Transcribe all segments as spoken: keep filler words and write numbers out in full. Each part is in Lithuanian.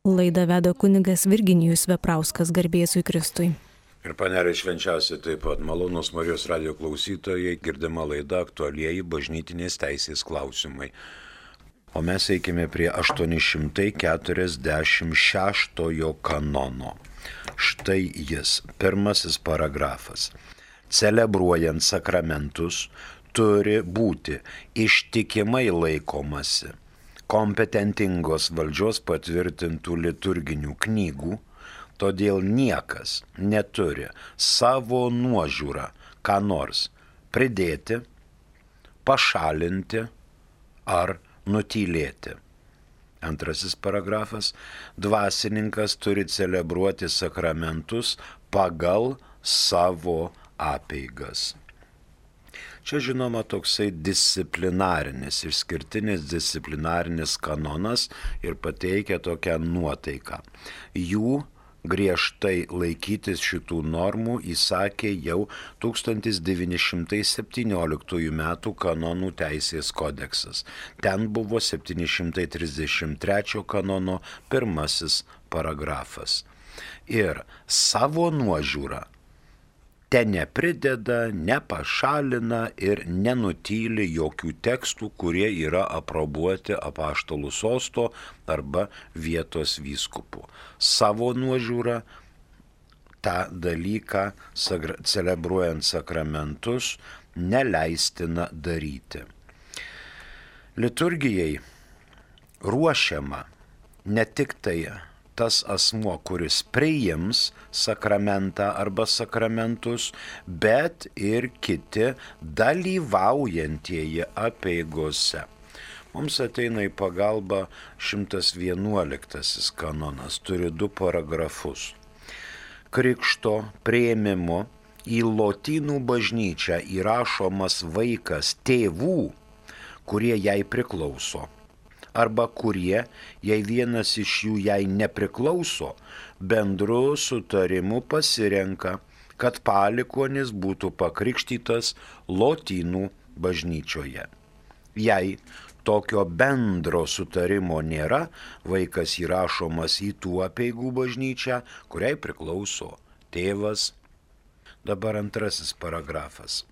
Laidą veda kunigas Virginijus Veprauskas, garbėsui Kristui. Ir panelė švenčiausiai taip pat malonus Marijos radijo klausytojai, girdima laida aktualieji bažnytinės teisės klausimai. O mes eikime prie aštuoni šimtai keturiasdešimt šeštojo kanono. Štai jis, pirmasis paragrafas. Celebruojant sakramentus turi būti ištikimai laikomasi kompetentingos valdžios patvirtintų liturginių knygų, todėl niekas neturi savo nuožiūrą ką nors pridėti, pašalinti ar nutylėti. Antrasis paragrafas. Dvasininkas turi celebruoti sakramentus pagal savo apeigas. Čia žinoma toksai disciplinarinis, išskirtinis disciplinarinis kanonas ir pateikia tokią nuotaiką. Jų griežtai laikytis šitų normų įsakė jau tūkstantis devyni šimtai septynioliktųjų metų kanonų teisės kodeksas. Ten buvo septyni šimtai trisdešimt trečio kanono pirmasis paragrafas. Ir savo nuožiūrą te neprideda, nepašalina ir nenutyli jokių tekstų, kurie yra aprobuoti apaštalų sosto arba vietos vyskupų. Savo nuožiūrą tą dalyką, celebruojant sakramentus, neleistina daryti. Liturgijai ruošiama ne tik tai tas asmuo, kuris priims sakramentą arba sakramentus, bet ir kiti dalyvaujantieji apeigose. Mums ateina į pagalbą šimtas vienuoliktasis kanonas, turi du paragrafus. Krikšto priėmimo į lotynų bažnyčią įrašomas vaikas tėvų, kurie jai priklauso, arba kurie, jei vienas iš jų jai nepriklauso, bendru sutarimu pasirenka, kad palikuonis būtų pakrikštytas lotynų bažnyčioje. Jei tokio bendro sutarimo nėra, vaikas įrašomas į tų apeigų bažnyčią, kuriai priklauso tėvas. Dabar antrasis paragrafas.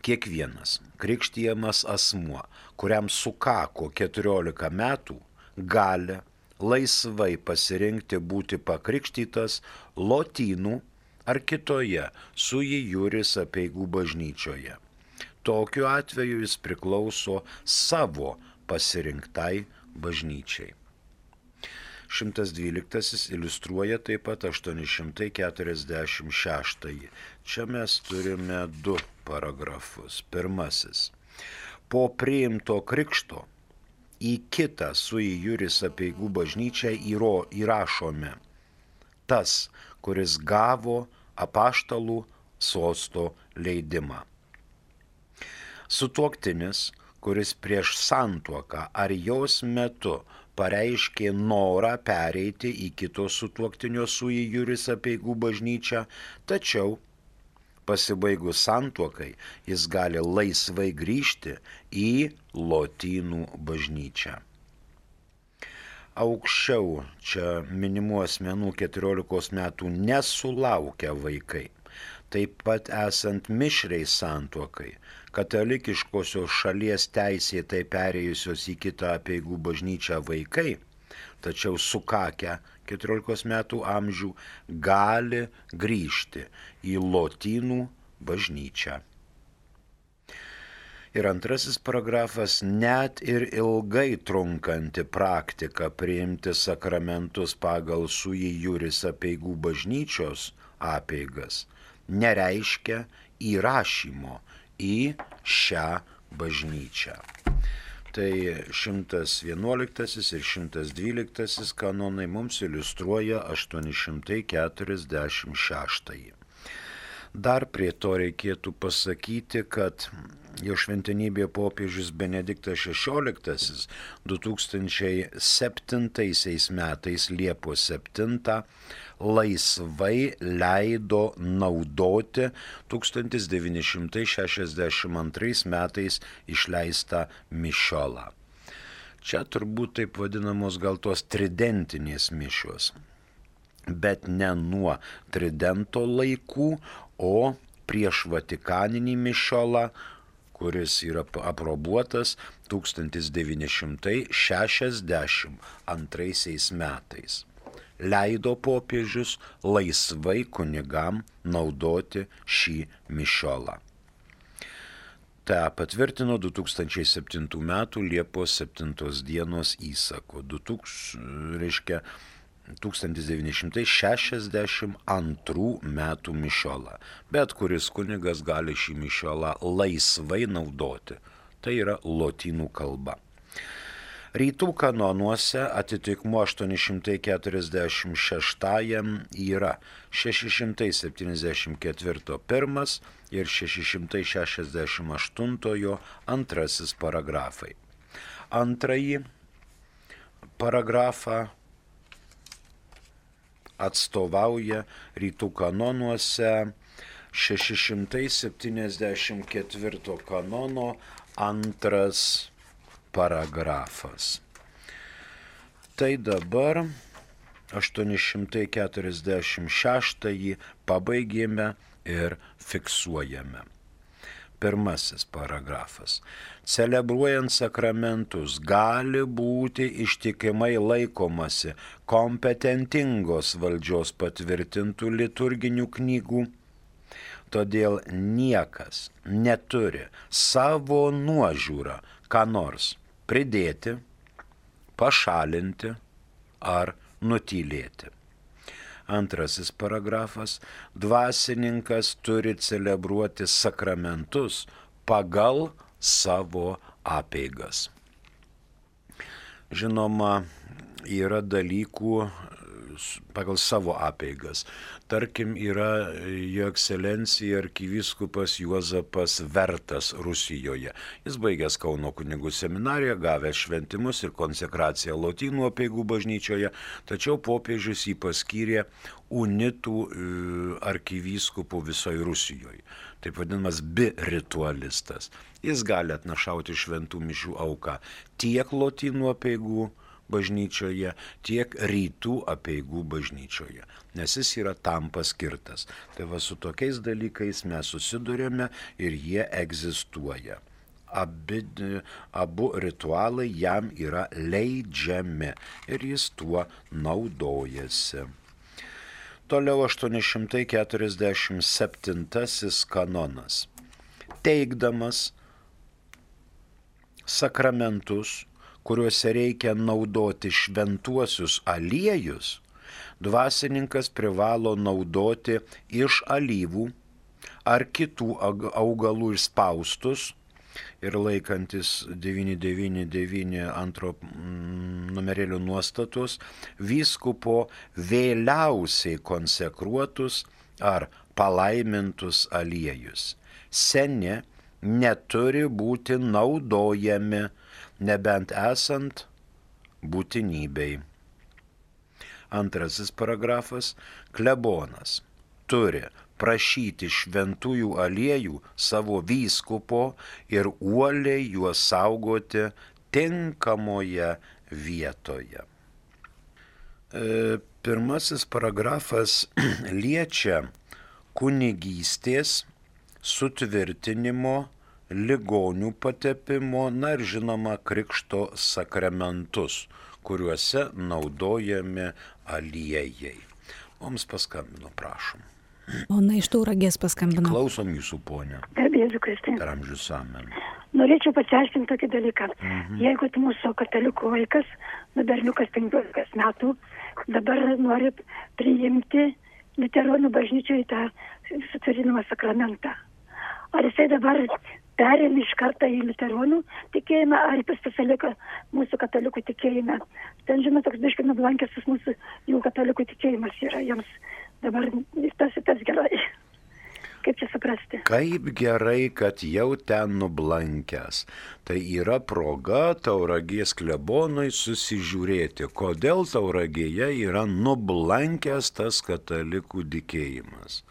Kiekvienas krikštijamas asmuo, kuriam sukako keturiolika metų, gali laisvai pasirinkti būti pakrikštytas lotynų ar kitoje sui iuris apeigų bažnyčioje. Tokiu atveju jis priklauso savo pasirinktai bažnyčiai. šimtas dvyliktasis iliustruoja taip pat aštuoni šimtai keturiasdešimt šeštąjį. Čia mes turime du paragrafus. Pirmasis. Po priimto krikšto į kitą sui iuris apeigų bažnyčią įrašome tas, kuris gavo apaštalų sosto leidimą. Sutuoktinis, kuris prieš santuoką ar jos metu pareiškė norą pereiti į kito sutuoktinio sui iuris apeigų bažnyčią, tačiau pasibaigus santuokai jis gali laisvai grįžti į lotynų bažnyčią. Aukščiau čia minimų asmenų keturiolikos metų nesulaukę vaikai, taip pat esant mišriai santuokai, katalikiškosios šalies teisėtai perėjusios į kitą apeigų bažnyčią vaikai, tačiau sukakę keturiolikos metų amžių, gali grįžti į lotynų bažnyčią. Ir antrasis paragrafas. Net ir ilgai trunkanti praktika priimti sakramentus pagal sui iuris apeigų bažnyčios apeigas nereiškia įrašymo į šią bažnyčią. Tai šimtas vienuoliktasis ir šimtas dvyliktasis kanonai mums iliustruoja aštuoni šimtai keturiasdešimt šeštąjį. Dar prie to reikėtų pasakyti, kad jo šventenybė popiežius Benediktas šešioliktasis du tūkstančiai septintaisiais metais Liepos septintą laisvai leido naudoti tūkstantis devyni šimtai šešiasdešimt antrais metais išleistą mišiolą. Čia turbūt taip vadinamos gal tos tridentinės mišios, bet ne nuo tridento laikų, o prieš Vatikaninį mišiolą, kuris yra aprobuotas tūkstantis devyni šimtai šešiasdešimt antraisiais metais. Leido popiežius laisvai kunigam naudoti šį mišiolą. Ta patvirtino du tūkstančiai septintų metų Liepos septintos dienos įsaku, reiškia tūkstantis devyni šimtai šešiasdešimt antrų metų mišiolą. Bet kuris kunigas gali šį mišiolą laisvai naudoti. Tai yra lotynų kalba. Rytų kanonuose atitikmuo aštuoni šimtai keturiasdešimt šeštajam yra šeši šimtai septyniasdešimt ketvirto pirmas ir šeši šimtai šešiasdešimt aštuntojo antrasis paragrafai. Antrąjį paragrafą atstovauja rytų kanonuose šeši šimtai septyniasdešimt ketvirto kanono antras paragrafas. Tai dabar aštuoni šimtai keturiasdešimt šeštąjį pabaigėme ir fiksuojame. Pirmasis paragrafas. Celebruojant sakramentus gali būti ištikimai laikomasi kompetentingos valdžios patvirtintų liturginių knygų, todėl niekas neturi savo nuožiūrą ką nors pridėti, pašalinti ar nutylėti. Antrasis paragrafas. Dvasininkas turi celebruoti sakramentus pagal savo apeigas. Žinoma, yra dalykų pagal savo apeigas. Tarkim, yra jo ekscelencija arkivyskupas Juozapas Vertas Rusijoje. Jis baigęs Kauno kunigų seminariją, gavęs šventimus ir konsekraciją lotynų apeigų bažnyčioje, tačiau popiežius jį paskyrė unitų arkivyskupų visoje Rusijoje. Taip vadinamas biritualistas. Jis gali atnašauti šventų mišių auką tiek lotynų apeigų bažnyčioje, tiek rytų apeigų bažnyčioje, nes jis yra tam paskirtas. Tai va su tokiais dalykais mes susidurėme ir jie egzistuoja. Abi, abu ritualai jam yra leidžiami ir jis tuo naudojasi. Toliau aštuoni šimtai keturiasdešimt septintasis kanonas. Teikdamas sakramentus, kuriuose reikia naudoti šventuosius aliejus, dvasininkas privalo naudoti iš alyvų ar kitų augalų išspaustus ir laikantis devyni devyni devyni antro numerėlių nuostatus, vyskupo vėliausiai konsekruotus ar palaimintus aliejus. Seni neturi būti naudojami, nebent esant būtinybei. Antrasis paragrafas. Klebonas turi prašyti šventųjų aliejų savo vyskupo ir uoliai juos saugoti tinkamoje vietoje. E, pirmasis paragrafas liečia kunigystės sutvirtinimo, ligonių patepimo, na ir žinoma krikšto sakramentus, kuriuose naudojami aliejai. Mums paskambino, prašom. Ona iš Tauragės paskambino. Klausom jūsų, ponia. Garbėsiu Kristui. Per amžius amen. Norėčiau pasiaiškinti tokį dalyką. Mhm. Jeigu mūsų katalikų vaikas, nu berniukas penkiolikos metų, dabar nori priimti liuteronų bažnyčioje tą sutvirtinimo sakramentą. Ar jisai dabar perėmė iš karto į liuteronų tikėjimą, ar pas pasilika mūsų katalikų tikėjime? Ten, žinoma, toks biškai nublankęs mūsų jų katalikų tikėjimas yra jiems dabar tas ir tas gerai. Kaip čia suprasti? Kaip gerai, kad jau ten nublankęs. Tai yra proga Tauragės klebonui susižiūrėti, kodėl Tauragėje yra nublankęs tas katalikų tikėjimas.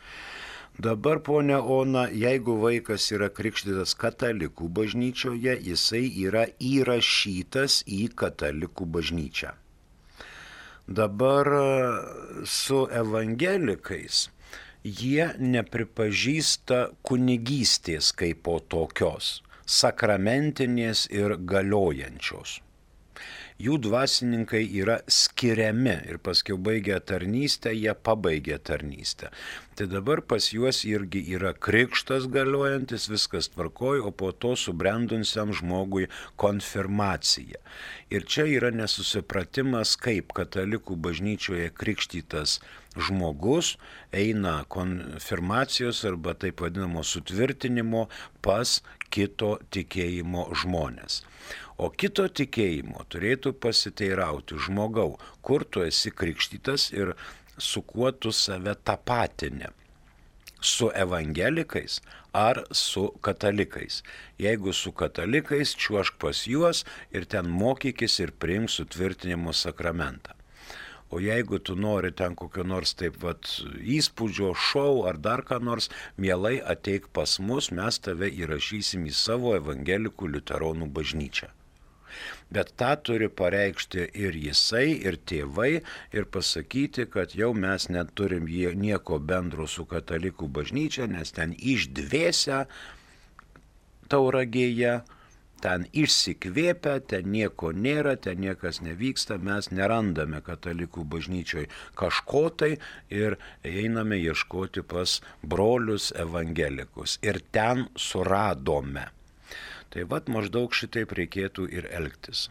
Dabar, ponia Ona, jeigu vaikas yra krikštytas katalikų bažnyčioje, jisai yra įrašytas į katalikų bažnyčią. Dabar su evangelikais jie nepripažįsta kunigystės kaip po tokios, sakramentinės ir galiojančios. Jų dvasininkai yra skiriami ir paskiau baigę tarnystę, jie pabaigė tarnystę. Tai dabar pas juos irgi yra krikštas galiojantis, viskas tvarkoj, o po to subrendusiam žmogui konfirmacija. Ir čia yra nesusipratimas, kaip katalikų bažnyčioje krikštytas žmogus eina konfirmacijos arba taip vadinamo sutvirtinimo pas kito tikėjimo žmonės. O kito tikėjimo turėtų pasiteirauti žmogau, kur tu esi krikštytas ir su kuo tu save tapatini. Su evangelikais ar su katalikais. Jeigu su katalikais, čiuošk pas juos ir ten mokykis ir priimk sutvirtinimo sakramentą. O jeigu tu nori ten kokio nors taip vat įspūdžio, šou ar dar ką nors, mielai ateik pas mus, mes tave įrašysim į savo evangelikų liuteronų bažnyčią. Bet tą turi pareikšti ir jisai, ir tėvai, ir pasakyti, kad jau mes neturim nieko bendro su katalikų bažnyčia, nes ten išdvėsia Tauragėje, ten išsikvėpia, ten nieko nėra, ten niekas nevyksta, mes nerandame katalikų bažnyčioj kažko tai ir einame ieškoti pas brolius evangelikus. Ir ten suradome. Tai vat maždaug šitaip reikėtų ir elgtis.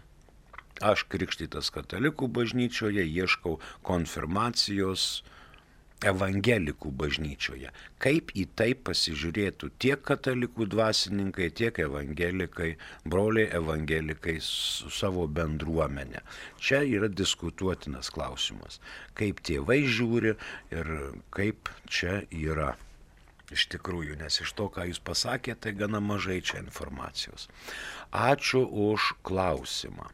Aš krikštytas katalikų bažnyčioje ieškau konfirmacijos evangelikų bažnyčioje. Kaip į tai pasižiūrėtų tiek katalikų dvasininkai, tiek evangelikai, broliai evangelikai su savo bendruomenė. Čia yra diskutuotinas klausimas. Kaip tėvai žiūri ir kaip čia yra. Iš tikrųjų, nes iš to, ką jūs pasakėte, tai gana mažai čia informacijos. Ačiū už klausimą.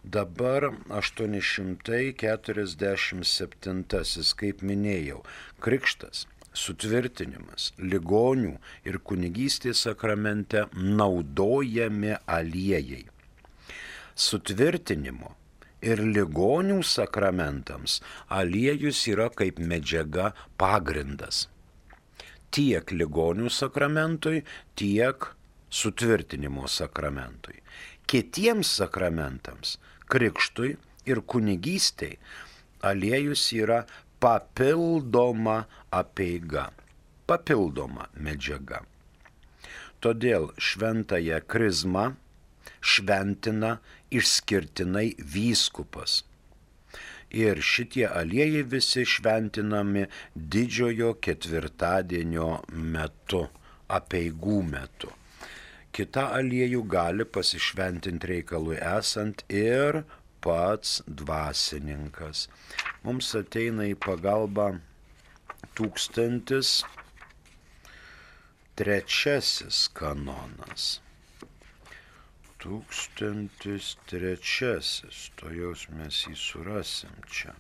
Dabar aštuoni šimtai keturiasdešimt septintasis, kaip minėjau, krikštas, sutvirtinimas, ligonių ir kunigystės sakramente naudojami aliejai. Sutvirtinimo ir ligonių sakramentams aliejus yra kaip medžiaga pagrindas. Tiek ligonių sakramentui, tiek sutvirtinimo sakramentui. Kitiems sakramentams, krikštui ir kunigystei, aliejus yra papildoma apeiga, papildoma medžiaga. Todėl šventąją krizmą šventina išskirtinai vyskupas. Ir šitie aliejai visi šventinami didžiojo ketvirtadienio metu, apeigų metu. Kita aliejų gali pasišventinti reikalui esant ir pats dvasininkas. Mums ateina į pagalbą tūkstantis trečiasis kanonas. Tūkstantis trečiasis, to jaus mes jį surasim čia.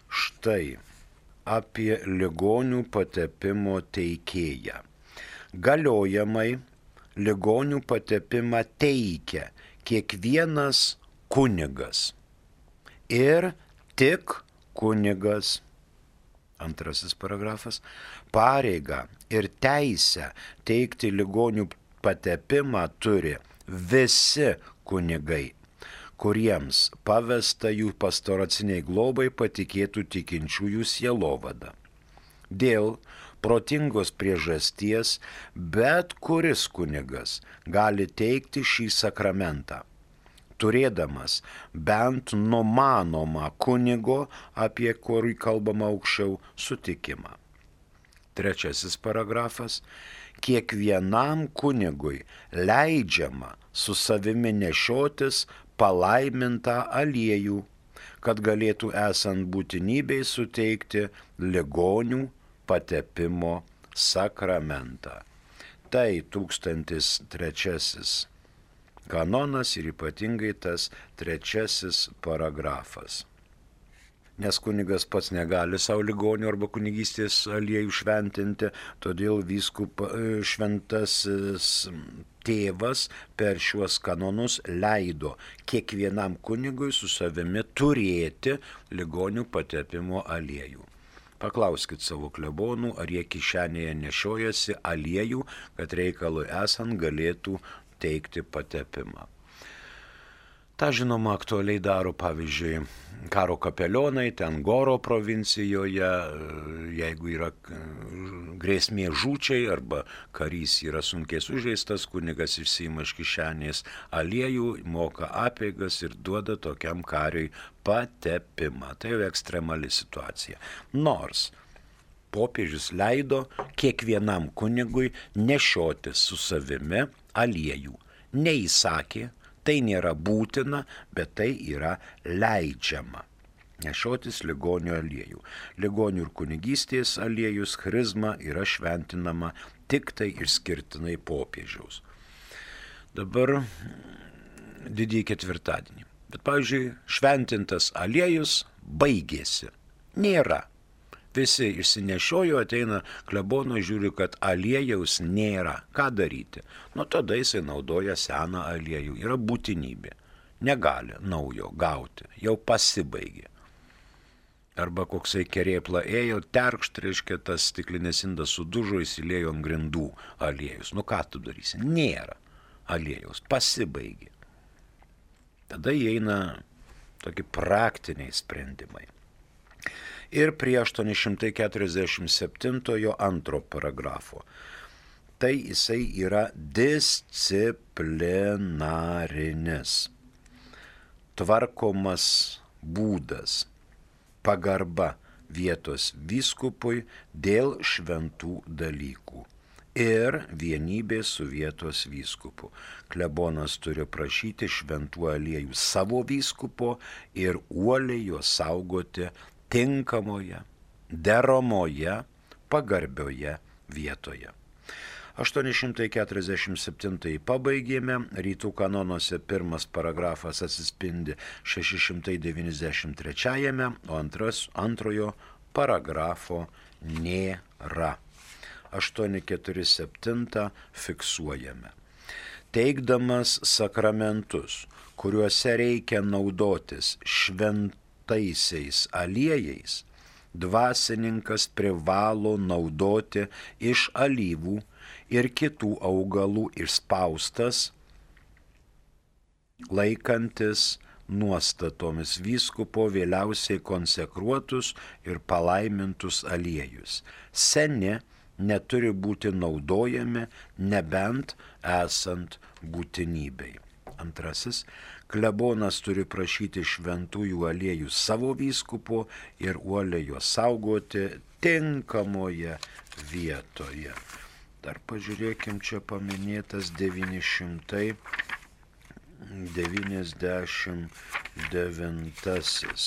Štai apie ligonių patepimo teikėją. Galiojamai ligonių patepimą teikia kiekvienas kunigas ir tik kunigas. Antrasis paragrafas. Pareigą ir teisę teikti ligonių patepimą turi visi kunigai, kuriems pavesta jų pastoraciniai globai patikėtų tikinčiųjų sielovada. Dėl protingos priežasties bet kuris kunigas gali teikti šį sakramentą, turėdamas bent numanomą kunigo, apie kurį kalbama aukščiau, sutikimą. Trečiasis paragrafas. Kiekvienam kunigui leidžiama su savimi nešiotis palaimintą aliejų, kad galėtų esant būtinybei suteikti ligonių patepimo sakramentą. Tai tūkstantis trečiasis kanonas ir ypatingai tas trečiasis paragrafas. nes kunigas pats negali savo ligonių arba kunigystės aliejų šventinti, todėl vyskup šventasis tėvas per šiuos kanonus leido kiekvienam kunigui su savimi turėti ligonių patepimo aliejų. Paklauskit savo klebonų, ar jie kišenėje nešiojasi aliejų, kad reikalui esant galėtų teikti patepimą. Ta žinoma aktualiai daro pavyzdžiui karo kapelionai, ten Goro provincijoje, jeigu yra grėsmė žūčiai arba karys yra sunkiai sužeistas, kunigas išsiima iš kišenės aliejų, moka apeigas ir duoda tokiam kariui patepimą. Tai jau ekstremali situacija. Nors popiežius leido kiekvienam kunigui nešiotis su savimi aliejų. Neįsakė, tai nėra būtina, bet tai yra leidžiama. Nešiotis ligonių aliejų. Ligonių ir kunigystės aliejus charizma yra šventinama tik tai išskirtinai popiežiaus. Dabar didįjį ketvirtadienį. Bet, pavyzdžiui, šventintas aliejus baigėsi. Nėra. Visi išsinešiojo, ateina klebono, žiūri, kad aliejaus nėra. Ką daryti? Nu, tada jisai naudoja seną aliejų. Yra būtinybė. Negali naujo gauti. Jau pasibaigė. Arba koksai kerėpla ėjo, terkšt, reiškia, tas stiklinės indas sudužo, įsiliejo ant grindų aliejus. Nu, ką tu darysi? Nėra aliejaus. Pasibaigė. Tada įeina tokie praktiniai sprendimai. Ir prie aštuoni šimtai keturiasdešimt septintojo antro paragrafo. Tai jisai yra disciplinarinis, tvarkomas būdas, pagarba vietos vyskupui dėl šventų dalykų ir vienybė su vietos vyskupu. Klebonas turi prašyti šventų aliejų savo vyskupo ir uoliai juos saugoti tinkamoje, deramoje, pagarbioje vietoje. aštuoni šimtai keturiasdešimt septintąjį pabaigėme, rytų kanonuose pirmas paragrafas atsispindi šeši šimtai devyniasdešimt trečiajame, o antras, antrojo paragrafo nėra. aštuoni keturi septyni fiksuojame. Teikdamas sakramentus, kuriuose reikia naudotis šventų taisiais aliejais, dvasininkas privalo naudoti iš alyvų ir kitų augalų išspaustas, laikantis nuostatomis vyskupo vėliausiai konsekruotus ir palaimintus aliejus. Seni neturi būti naudojami, nebent esant būtinybei. Antrasis, klebonas turi prašyti šventųjų aliejų savo vyskupo ir uoliai juos saugoti tinkamoje vietoje. Dar pažiūrėkim, čia paminėtas devyni šimtai devyniasdešimt devintasis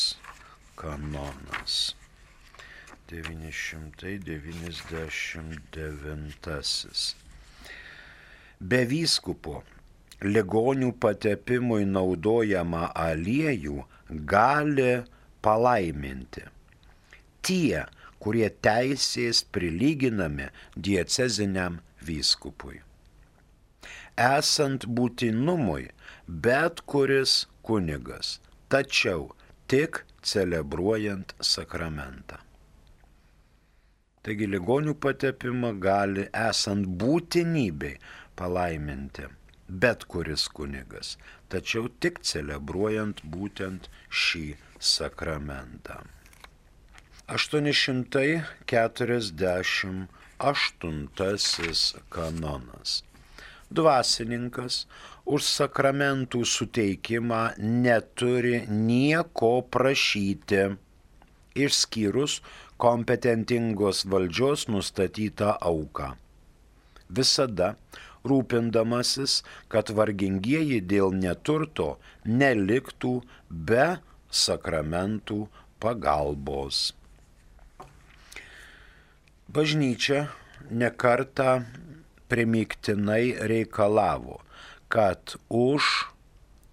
kanonas. devyni šimtai devyniasdešimt devintasis. Be vyskupo ligonių patepimui naudojamą aliejų gali palaiminti tie, kurie teisės prilyginami dieceziniam vyskupui. Esant būtinumui, bet kuris kunigas, tačiau tik celebruojant sakramentą. Taigi ligonių patepimą gali esant būtinybei palaiminti bet kuris kunigas, tačiau tik celebruojant būtent šį sakramentą. aštuoni šimtai keturiasdešimt aštuntasis kanonas. Dvasininkas už sakramentų suteikimą neturi nieko prašyti, išskyrus kompetentingos valdžios nustatytą auką. Visada rūpindamasis, kad vargingieji dėl neturto neliktų be sakramentų pagalbos. Bažnyčia nekartą primygtinai reikalavo, kad už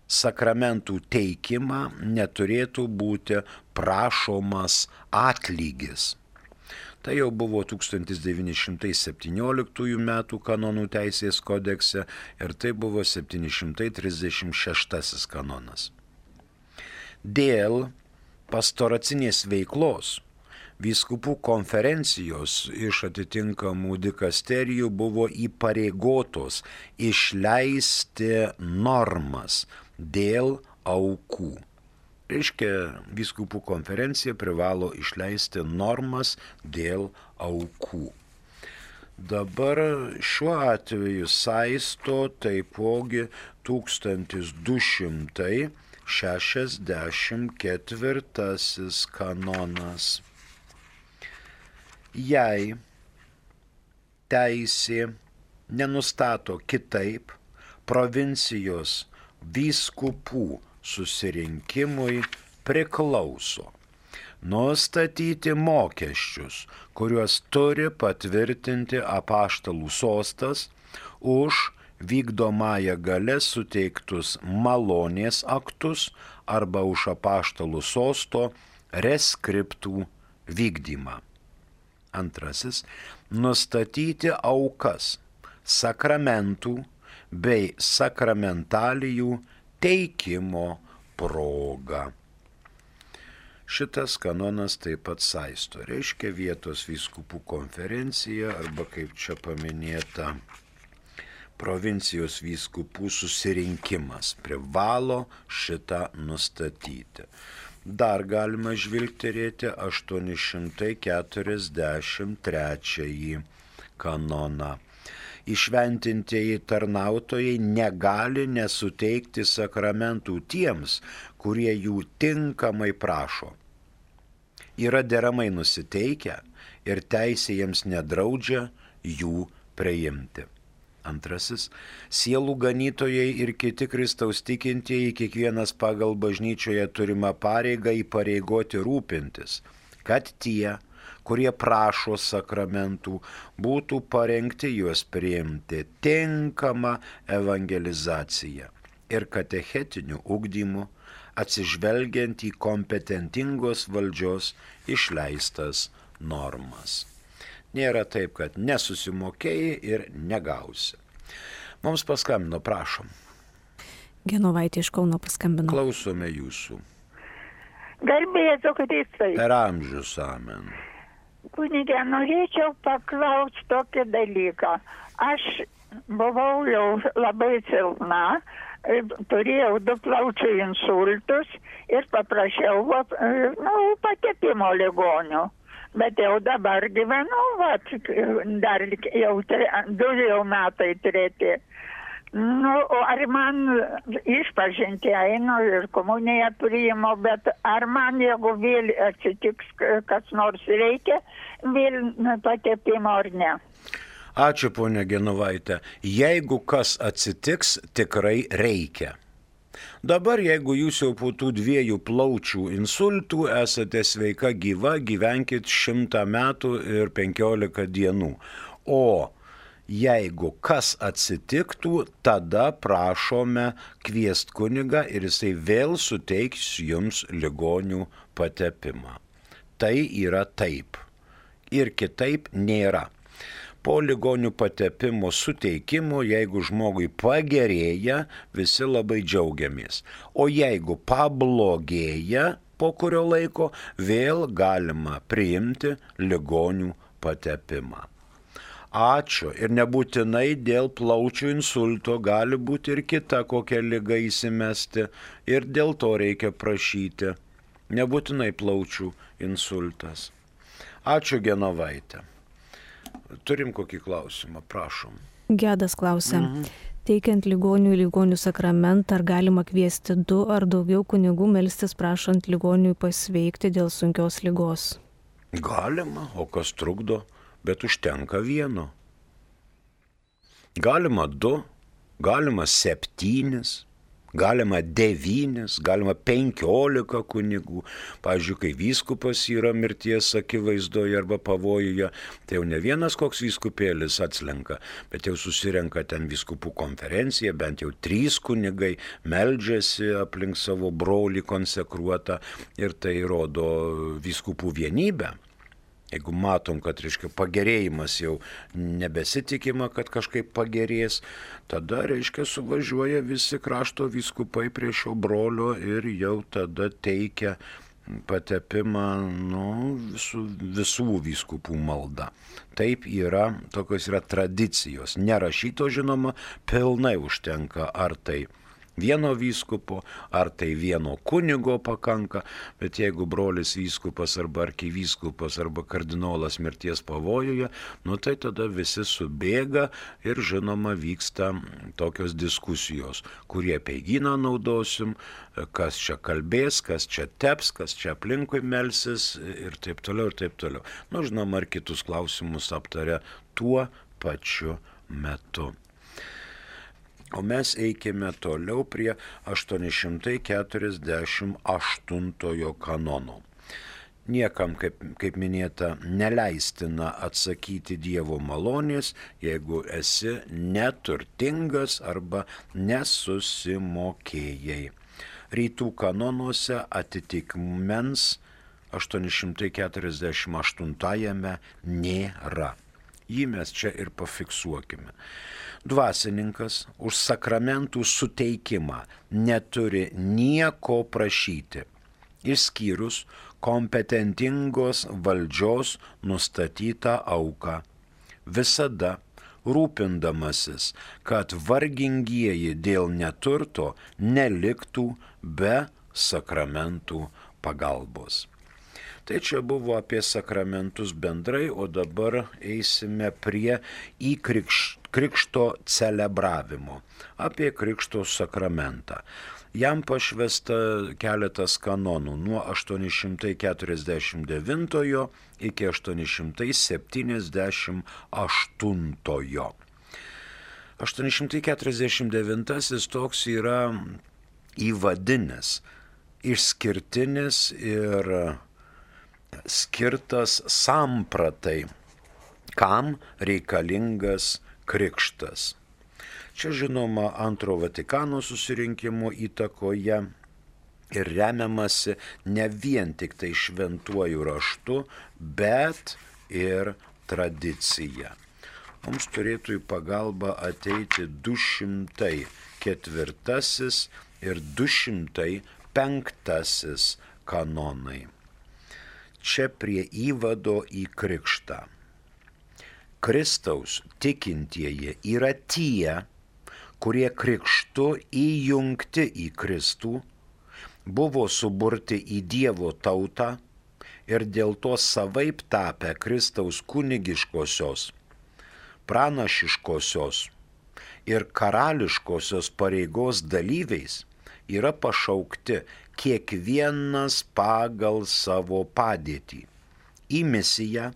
sakramentų teikimą neturėtų būti prašomas atlygis. Tai jau buvo tūkstantis devyni šimtai septynioliktųjų metų kanonų teisės kodekse ir tai buvo septyni šimtai trisdešimt šeštasis kanonas. Dėl pastoracinės veiklos vyskupų konferencijos iš atitinkamų dikasterijų buvo įpareigotos išleisti normas dėl aukų. Reiškia, vyskupų konferencija privalo išleisti normas dėl aukų. Dabar šiuo atveju saisto taipogi tūkstantis du šimtai šešiasdešimt ketvirtasis kanonas. Jei teisė nenustato kitaip, provincijos vyskupų susirinkimui priklauso nustatyti mokesčius, kuriuos turi patvirtinti apaštalų sostas už vykdomąją galę suteiktus malonės aktus arba už apaštalų sosto reskriptų vykdymą. Antrasis - nustatyti aukas sakramentų bei sakramentalijų teikimo proga. Šitas kanonas taip pat saisto, reiškia vietos vyskupų konferencija arba kaip čia paminėta provincijos vyskupų susirinkimas privalo šitą nustatyti. Dar galima žvilgterėti aštuoni šimtai keturiasdešimt trečiąjį kanoną. Įšventintieji tarnautojai negali nesuteikti sakramentų tiems, kurie jų tinkamai prašo. Yra deramai nusiteikę ir teisė jiems nedraudžia jų priimti. Antrasis - sielų ganytojai ir kiti Kristaus tikintieji kiekvienas pagal bažnyčioje turimą pareigą įpareigoti rūpintis, kad tie, kurie prašo sakramentų, būtų parengti juos priimti tinkamą evangelizaciją ir katechetinių ugdymų, atsižvelgiant į kompetentingos valdžios išleistas normas. Nėra taip, kad nesusimokėjai ir negausi. Mums paskambino, prašom. Genovaitė iš Kauno paskambino. Klausome jūsų. Garbė Jėzui Kristui. Per amžius, amen. Kunige, norėčiau paklausti tokį dalyką. Aš buvau jau labai silpna, turėjau du plaučių insultus ir paprašiau nu, patepimo ligonių. Bet jau dabar gyvenu, vat, dar jau tre, du jau metai treti. Nu, ar man išpažinti einu ir komuniją priimu, bet ar man, jeigu vėl atsitiks, kas nors reikia, vėl patepimo ar ne? Ačiū, ponia Genovaitė. Jeigu kas atsitiks, tikrai reikia. Dabar, jeigu jūs jau po tų dviejų plaučių insultų esate sveika gyva, gyvenkit šimtą metų ir penkiolika dienų. O jeigu kas atsitiktų, tada prašome kviest kunigą ir jisai vėl suteiks jums ligonių patepimą. Tai yra taip. Ir kitaip nėra. Po ligonių patepimo suteikimo, jeigu žmogui pagerėja, visi labai džiaugiamės. O jeigu pablogėja po kurio laiko, vėl galima priimti ligonių patepimą. Ačiū. Ir nebūtinai dėl plaučių insulto, gali būti ir kita kokia liga įsimesti ir dėl to reikia prašyti. Nebūtinai plaučių insultas. Ačiū, Genovaitė. Turim kokį klausimą, prašom. Gedas klausia. Mhm. Teikiant ligonių į ligonių sakramentą, ar galima kviesti du ar daugiau kunigų melstis prašant ligoniui pasveikti dėl sunkios ligos? Galima, o kas trukdo, bet užtenka vieno. Galima du, galima septynis, Galima devynis, galima penkiolika kunigų. Pavyzdžiui, kai vyskupas yra mirties akivaizdoje arba pavojuje, tai jau ne vienas koks vyskupėlis atslenka, bet jau susirenka ten vyskupų konferencija, bent jau trys kunigai meldžiasi aplink savo brolį konsekruotą ir tai rodo vyskupų vienybę. Jeigu matom, kad, reiškia, pagerėjimas jau nebesitikima, kad kažkaip pagerės, tada, reiškia, suvažiuoja visi krašto vyskupai prie šio brolio ir jau tada teikia patepimą, nu, visų, visų vyskupų malda. Taip yra, tokios yra tradicijos. Nerašyto, žinoma, pilnai užtenka, ar tai vieno vyskupo, ar tai vieno kunigo pakanka, bet jeigu brolis vyskupas arba arkivyskupas arba kardinolas mirties pavojuje, nu tai tada visi subėga ir, žinoma, vyksta tokios diskusijos, kurie apeigyną naudosim, kas čia kalbės, kas čia teps, kas čia aplinkui melsis ir taip toliau ir taip toliau. Nu, žinoma, ir kitus klausimus aptaria tuo pačiu metu. O mes eikime toliau prie aštuoni šimtai keturiasdešimt aštuntojo kanono. Niekam, kaip, kaip minėta, neleistina atsakyti Dievo malonės, jeigu esi neturtingas arba nesusimokėjai. Rytų kanonuose atitikmens aštuoni šimtai keturiasdešimt aštuntajame nėra. Jį mes čia ir pafiksuokime. Dvasininkas už sakramentų suteikimą neturi nieko prašyti, išskyrus kompetentingos valdžios nustatytą auką, visada rūpindamasis, kad vargingieji dėl neturto neliktų be sakramentų pagalbos. Tai čia buvo apie sakramentus bendrai, o dabar eisime prie įkrikšto celebravimo, apie krikšto sakramentą. Jam pašvesta keletas kanonų nuo aštuoni šimtai keturiasdešimt devintojo iki aštuoni šimtai septyniasdešimt aštuntojo. aštuoni šimtai keturiasdešimt devintasis toks yra įvadinis, išskirtinis ir skirtas sampratai, kam reikalingas krikštas. Čia, žinoma, antro Vatikano susirinkimo įtakoje ir remiamasi ne vien tik tai šventuoju raštu, bet ir tradicija. Mums turėtų į pagalbą ateiti du šimtai ketvirtasis ir du šimtai penktasis kanonai. Čia prie įvado į krikštą. Kristaus tikintieji yra tie, kurie krikštu įjungti į Kristų, buvo suburti į Dievo tautą ir dėl to savaip tapę Kristaus kunigiškosios, pranašiškosios ir karališkosios pareigos dalyviais yra pašaukti kiekvienas pagal savo padėtį į misiją,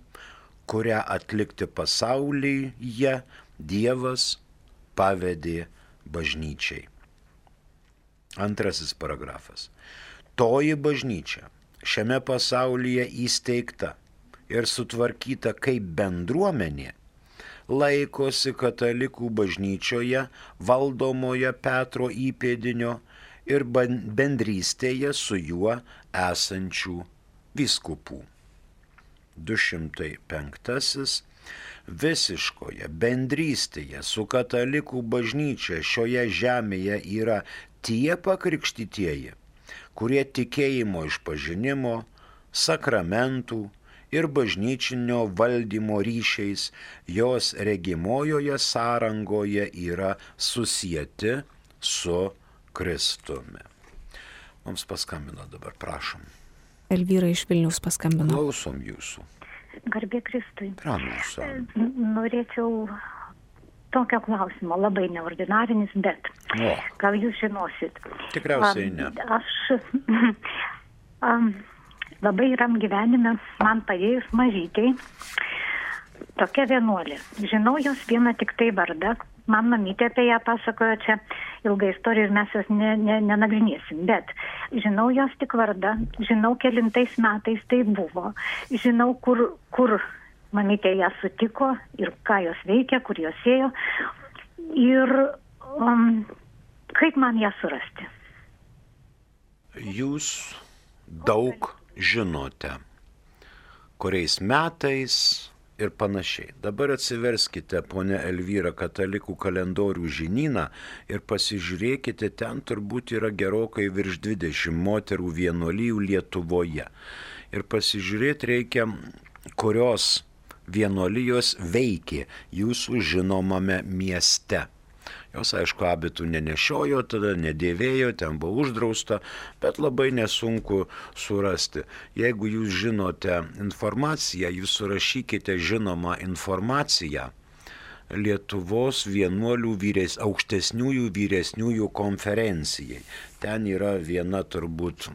kurią atlikti pasaulyje Dievas pavedė bažnyčiai. Antrasis paragrafas. Toji bažnyčia šiame pasaulyje įsteigta ir sutvarkyta kaip bendruomenė, laikosi katalikų bažnyčioje valdomoje Petro įpėdinio ir bendrystėje su juo esančių vyskupų. du šimtai penktasis. Visiškoje bendrystėje su katalikų bažnyčia šioje žemėje yra tie pakrikštytieji, kurie tikėjimo išpažinimo, sakramentų ir bažnyčinio valdymo ryšiais jos regimojoje sąrangoje yra susieti su Kristumi. Mums paskambino dabar, prašom. Elvyra iš Vilniaus paskambino. Klausom jūsų. Garbė Kristui. Pranusa. Norėčiau tokio klausimo, labai neordinarinis, bet o. gal jūs žinosit. Tikriausiai ne. Aš um, labai ram gyvenime man padėjus mažytei tokia vienuolė. Žinau jos vieną tik tai vardą, man mamytė apie ją pasakojo čia ilga istorija ir mes jos ne, ne, nenagrinėsim. Bet žinau jos tik vardą, žinau kelintais metais tai buvo, žinau kur, kur mamytė ją sutiko ir ką jos veikia, kur jos ėjo ir um, kaip man ją surasti. Jūs daug žinote, kuriais metais ir panašiai. Dabar atsiverskite, ponia Elvyra, katalikų kalendorių žinyną ir pasižiūrėkite, ten turbūt yra gerokai virš dvidešimt moterų vienuolijų Lietuvoje. Ir pasižiūrėti reikia, kurios vienuolijos veikė jūsų žinomame mieste. Jos, aišku, abitų nenešiojo, tada nedėvėjo, ten buvo uždrausta, bet labai nesunku surasti. Jeigu jūs žinote informaciją, jūs surašykite žinomą informaciją Lietuvos vienuolių vyres, aukštesniųjų vyresniųjų konferencijai. Ten yra viena turbūt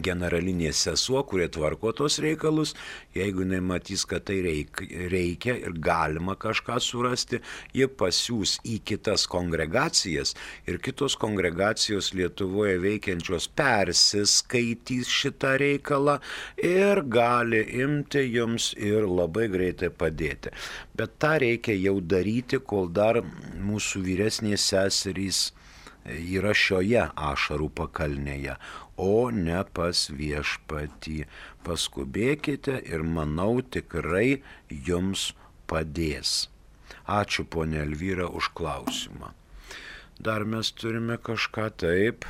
generalinė sesuo, kurie tvarko tos reikalus. Jeigu jinai matys, kad tai reikia ir galima kažką surasti, jie pasiūs į kitas kongregacijas ir kitos kongregacijos Lietuvoje veikiančios persiskaitys šitą reikalą ir gali imti jums ir labai greitai padėti. Bet tą reikia jau daryti, kol dar mūsų vyresnės seserys yra šioje ašarų pakalnėje, o ne pas viešpatį. Paskubėkite ir manau tikrai jums padės. Ačiū, ponia Elvyra, už klausimą. Dar mes turime kažką taip.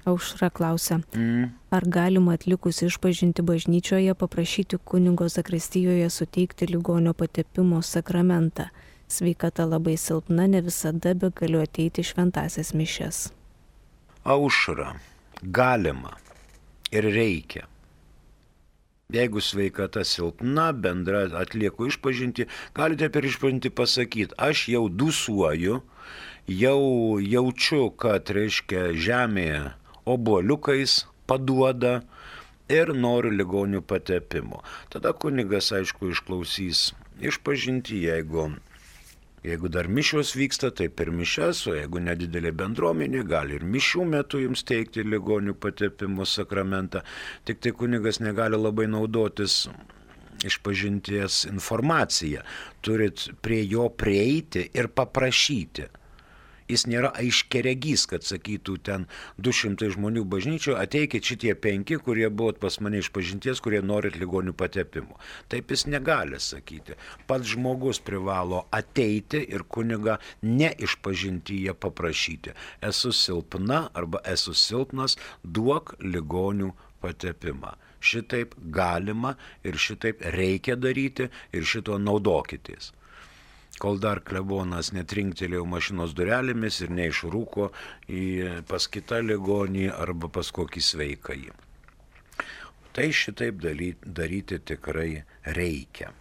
Aušra klausia, Mm. ar galima atlikus išpažinti bažnyčioje paprašyti kunigo zakristijoje suteikti ligonio patepimo sakramentą? Sveikata labai silpna, ne visada be galiu ateiti šventasias mišias. Aušra, galima ir reikia. Jeigu sveikata silpna, bendra atlieku išpažinti, galite per išpažinti pasakyti, aš jau dusuoju, jau jaučiu, kad, reiškia, žemėje obuoliukais paduoda ir noriu ligonių patepimo. Tada kunigas, aišku, išklausys išpažinti, jeigu Jeigu dar mišios vyksta, tai per mišias, o jeigu nedidelė bendruomenė, gali ir mišių metu jums teikti ligonių patepimo sakramentą. Tik tai kunigas negali labai naudotis išpažinties informacija. Turit prie jo prieiti ir paprašyti. Jis nėra aiškiaregys, kad sakytų ten du šimtai žmonių bažnyčioje, ateikit šitie penki, kurie buvot pas mane išpažinties, kurie norit ligonių patepimo. Taip jis negali sakyti. Pats žmogus privalo ateiti ir kunigą ne išpažintyje paprašyti. Esu silpna arba esu silpnas, duok ligonių patepimą. Šitaip galima ir šitaip reikia daryti ir šito naudokitės. Kol dar klebonas netrinktelėjo mašinos durelėmis ir neišrūko į pas kitą ligonį arba pas kokį sveikąjį. Tai šitaip daryti tikrai reikia.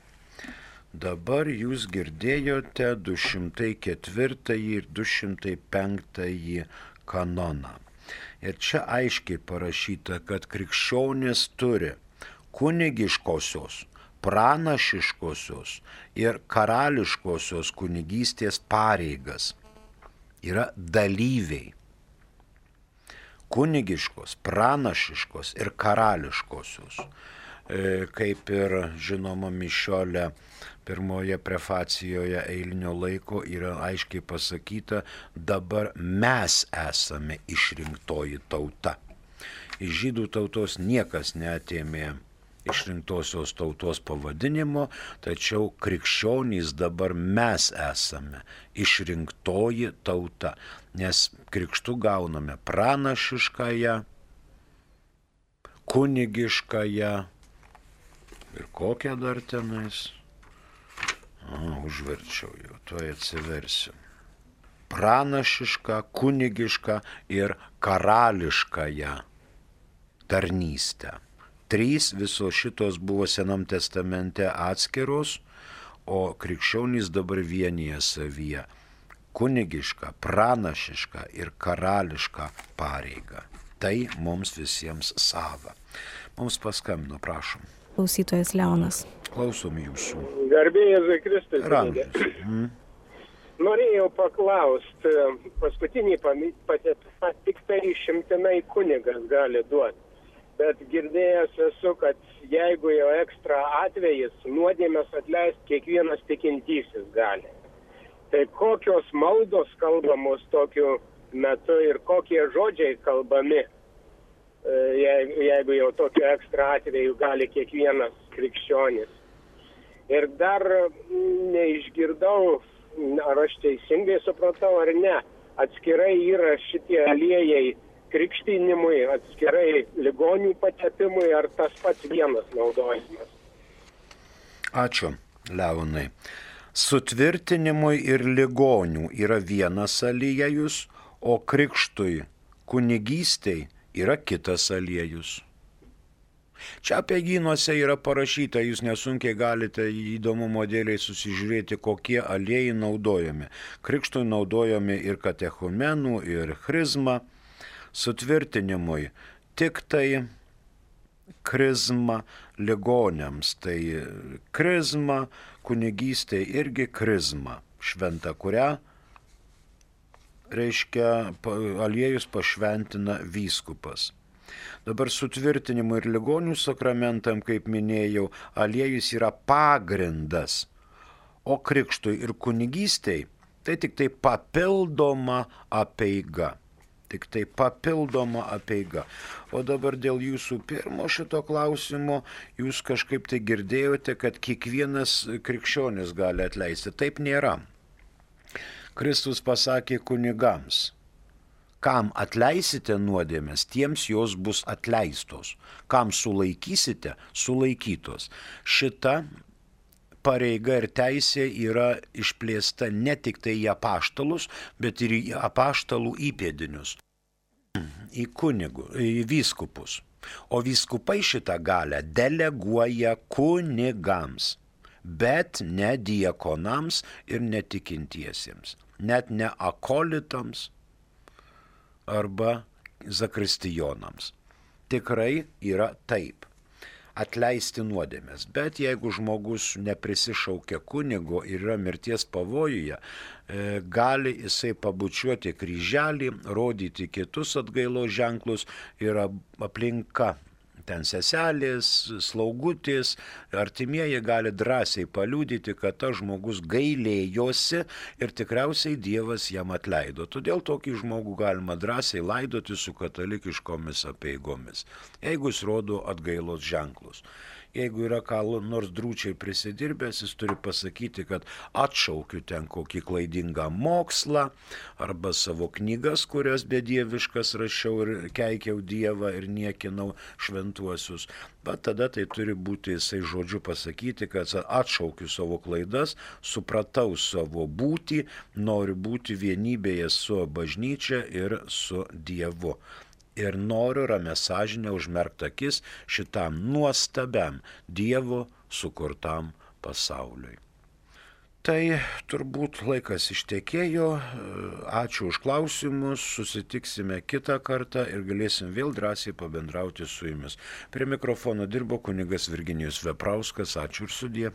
Dabar jūs girdėjote du šimtai ketvirtąjį ir du šimtai penktąjį kanoną. Ir čia aiškiai parašyta, kad krikščionis turi kunigiškosios, pranašiškosios ir karališkosios kunigystės pareigas. Yra dalyviai. Kunigiškos, pranašiškos ir karališkosios. E, kaip ir žinoma mišiolė pirmoje prefacijoje eilinio laiko yra aiškiai pasakyta, dabar mes esame išrinktoji tauta. Iš žydų tautos niekas neatėmė išrinktosios tautos pavadinimo, tačiau krikščionys dabar mes esame išrinktoji tauta, nes krikštu gauname pranašiškąją, kunigiškąją ir kokią dar tenais. O, užverčiau jau, tuoj atsiversiu. Pranašišką, kunigišką ir karališkąją tarnystę. Trys visos šitos buvo Senam testamente atskiros, o krikščionys dabar vienyje savyje kunigišką, pranašišką ir karališką pareigą. Tai mums visiems sava. Mums paskambino, prašom. Klausytojas Leonas. Klausom jūsų. Garbė Jėzui Kristui. Ramžius. Mm. Norėjau paklausti, paskutinį patepimą tik tai išimtinai kunigas gali duoti. Bet girdėjęs esu, kad jeigu jau ekstra atvejis, nuodėmės atleisti kiekvienas tikintysis gali. Tai kokios maldos kalbamos tokiu metu ir kokie žodžiai kalbami, jeigu jau tokiu ekstra atveju gali kiekvienas krikščionis. Ir dar neišgirdau, ar aš teisingai supratau ar ne, atskirai yra šitie aliejai krikštinimui, atskirai ligonių patepimui, ar tas pats vienas naudojimas. Ačiū, Leonai. Sutvirtinimui ir ligonių yra vienas aliejus, o krikštui, kunigystei yra kitas aliejus. Čia apeigynuose yra parašyta, jūs nesunkiai galite įdomumo dėliai susižiūrėti, kokie aliejai naudojami. Krikštui naudojami ir katechumenų, ir chrizma. Sutvirtinimui tik tai krizma, ligoniams tai krizma, kunigystė irgi krizma, šventa, kurią, reiškia, aliejus pašventina vyskupas. Dabar sutvirtinimui ir ligonių sakramentam, kaip minėjau, aliejus yra pagrindas, o krikštui ir kunigystei tai tik tai papildoma apeiga. Tik tai papildoma apeiga. O dabar dėl jūsų pirmo šito klausimo, jūs kažkaip tai girdėjote, kad kiekvienas krikščionis gali atleisti. Taip nėra. Kristus pasakė kunigams, kam atleisite nuodėmes, tiems jos bus atleistos. Kam sulaikysite, sulaikytos. Šita pareiga ir teisė yra išplėsta ne tik tai į apaštalus, bet ir į apaštalų įpėdinius, į kunigų, į vyskupus. O vyskupai šitą galią deleguoja kunigams, bet ne diakonams ir netikintiesiems, net ne akolitams arba zakristijonams. Tikrai yra taip. Atleisti nuodėmės. Bet jeigu žmogus neprisišaukia kunigo ir yra mirties pavojuje, gali jisai pabučiuoti kryželį, rodyti kitus atgailos ženklus ir aplinka, ten seselės, slaugutės, artimieji gali drąsiai paliudyti, kad tas žmogus gailėjosi ir tikriausiai Dievas jam atleido. Todėl tokį žmogų galima drąsiai laidoti su katalikiškomis apeigomis, jeigu jis rodo atgailos ženklus. Jeigu yra ką nors drūčiai prisidirbęs, jis turi pasakyti, kad atšaukiu ten kokį klaidingą mokslą arba savo knygas, kurias bedieviškas rašiau ir keikiau Dievą ir niekinau šventuosius. Bet tada tai turi būti jisai žodžiu pasakyti, kad atšaukiu savo klaidas, supratau savo būtį, noriu būti vienybėje su bažnyčia ir su Dievu. Ir noriu ramia sąžinę užmerkti akis šitam nuostabiam Dievo sukurtam pasauliui. Tai turbūt laikas ištekėjo. Ačiū už klausimus, susitiksime kitą kartą ir galėsim vėl drąsiai pabendrauti su jumis. Prie mikrofono dirbo kunigas Virginijus Veprauskas. Ačiū ir sudie.